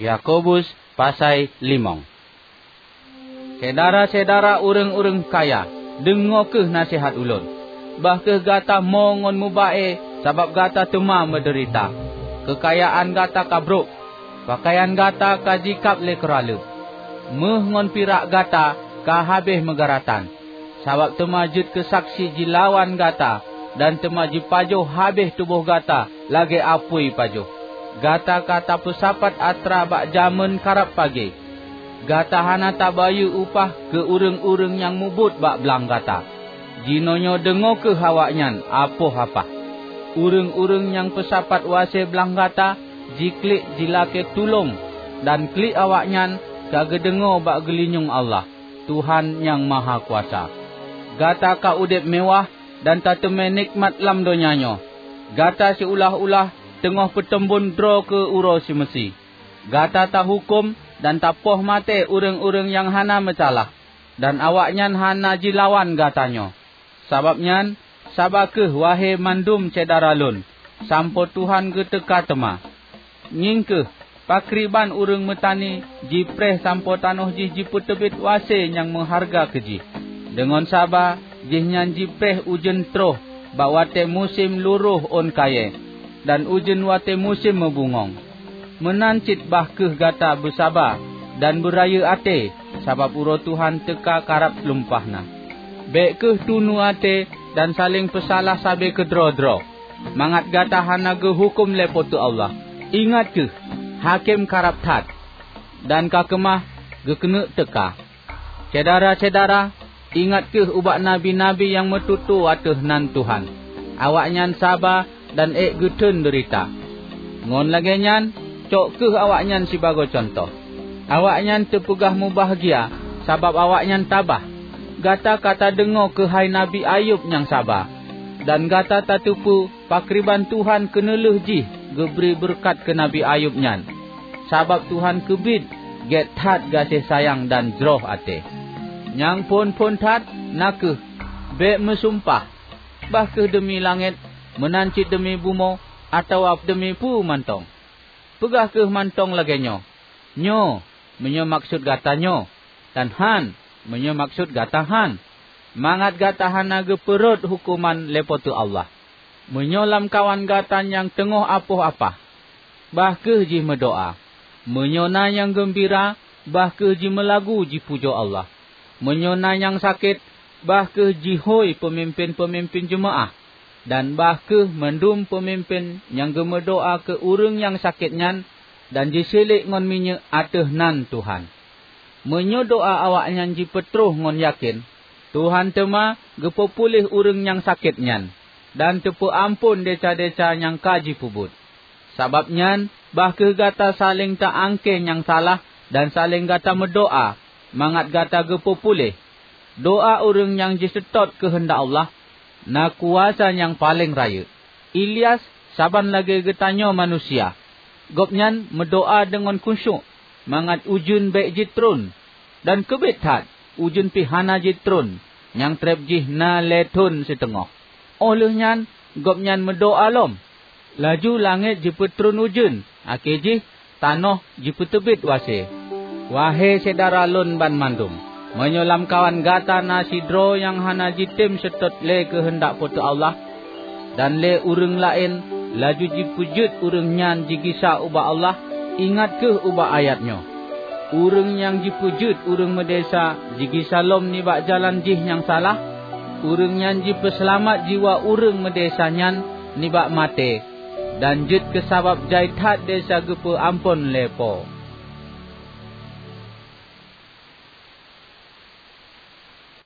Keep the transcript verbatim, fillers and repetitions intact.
Yakobus pasai limong. Syedara-syedara ureuëng-ureuëng kaya, deungoe kheueh naseuhat ulôn. Bah kheueh gata mo ngon muba-e, sabab gata teuma meudeurita. Keukayaan gata ka brok, peukayan gata ka jikab lé keuraleueb, méuh ngon pirak gata ka habéh meugeuratan. Sabab teuma jeuet keu saksi jilawan gata, dan teuma jipajoh habéh tuboh gata lagée apui pajoh. Gata ka tapeusapat atra bak jamén karab pagée. Gata hana tabayeue upah keu ureuëng-ureuëng nyang mubuet bak blang gata. Jinoenyoe deungoe kheueh awaknyan apoh apah. Ureuëng-ureuëng nyang peusapat u asée blang gata jiklik jilakée tulông, dan klik awaknyan ka geudeungoe bak geulinyueng Allah, Tuhan Nyang Mahakuasa. Gata ka udeb meuwáh dan tateumé nikmat lam donya nyoe. Gata siulah-ulah teungoh peuteumbon droe keu uroe simeusi. Gata tahuköm dan tapoh maté ureuëng-ureuëng nyang hana meusalah, dan awaknyan hana jilawan gata nyoe. Sabab nyan, saba kheueh, wahé mandum syedara lôn, sampoe Tuhan geuteuka teuma. Ngieng kheueh, pakriban ureuëng meutani jipreh sampoe tanoh jih jipeuteubiet u asée nyang meuhareuga keu jih. Deungon saba, jihnyan jipreh ujeuen troh bak watée musém luroh ôn kayée, dan ujeuen watée musém meubungöng. Meunan cit bah kheueh gata beusaba dan beurayeuk até, sabab uroe Tuhan teuka karab lumpah na. Bék kheueh tunu até dan saléng peusalah sabe keudroe-droe, mangat gata hana geuhuköm lé Po teu Allah. Ingat kheueh, Hakém karab that, dan ka keumah geukeuneuk teuka. Syedara-syedara, ingat kheueh ubak nabi-nabi nyang meututoe ateueh nan Tuhan. Awaknyan saba dan ék geutheun deurita. Ngon lagée nyan, cok kheueh awaknyan sibagoe cuntoh. Awaknyan teupeugah mubahgia sabab awaknyan tabah. Gata ka tadeungoe keuhai Nabi Ayub nyang saba, dan gata tateupeue pakriban Tuhan keuneulheueh jih geubri beureukat keu Nabi Ayub nyan. Sabab Tuhan keubiet gét that gaséh sayang dan jroh até. Nyang phon-phon that na kheueh, bék meusumpah, bah kheueh deumi langét, meunan cit deumi bumoe, atawa deumi peue mantong. Peugah kheueh mantong lagée nyoe, "Nyoe, meunyoe maksud gata nyoe," dan "Hán, meunyoe maksud gata hán," mangat gata hana geupeurhot huköman lé Po teu Allah. Meunyoe lamkawan gata nyang teungoh apoh apah, bah kheueh jih meudoá. Meunyoe na nyang geumbira, bah kheueh jimeulagu jipujoe Allah. Meunyoe na nyang sakét, bah kheueh jihôi peumimpén-peumimpén jeumaáh, dan bah kheueh mandum peumimpén nyang geumeudoá keu ureuëng nyang sakét nyan dan jiseulék ngon minyeuk ateueh nan Tuhan. Meunyoe doá awaknyan jipeutroh ngon yakén, Tuhan teuma geupeupuléh ureuëng nyang sakét nyan, dan teupeuamphon desya-desya nyang ka jipeubuet. Sabab nyan, bah kheueh gata saléng ta-angkée nyang salah dan saléng gata meudoá mangat gata geupeupuléh. Doá ureuëng nyang jiseutôt keuheundak Allah na kuasa nyang paleng rayeuk. Ilyas saban lagée geutanyoe manusia. Gobnyan meudoá deungon khusyuk mangat ujeuen bék jitron, dan keubiet that ujeuen pih hana jitron, nyang treb jih na lhée thon siteungoh. Óh lheueh nyan gobnyan meudoá lom, laju langét jipeutron ujeuen, akhé jih tanoh jipeuteubiet u asée. Wahé syedara lôn banmandum, meunyoe lamkawan gata na sidroe nyang hana jitem seutôt lé keuheundak Po teu Allah, dan lé ureuëng laén laju jipeujeuet ureuëng nyan jigisa ubak Allah, ingat kheueh ubak ayat nyoe, "Ureuëng nyang jipeujeuet ureuëng meudesya jigisa lom nibak jalan jih nyang salah, ureuëng nyan jipeuseulamat jiwoe ureuëng meudesya nyan nibak maté, dan jeuet keusabab jai that desya geupeuamphon lé Po."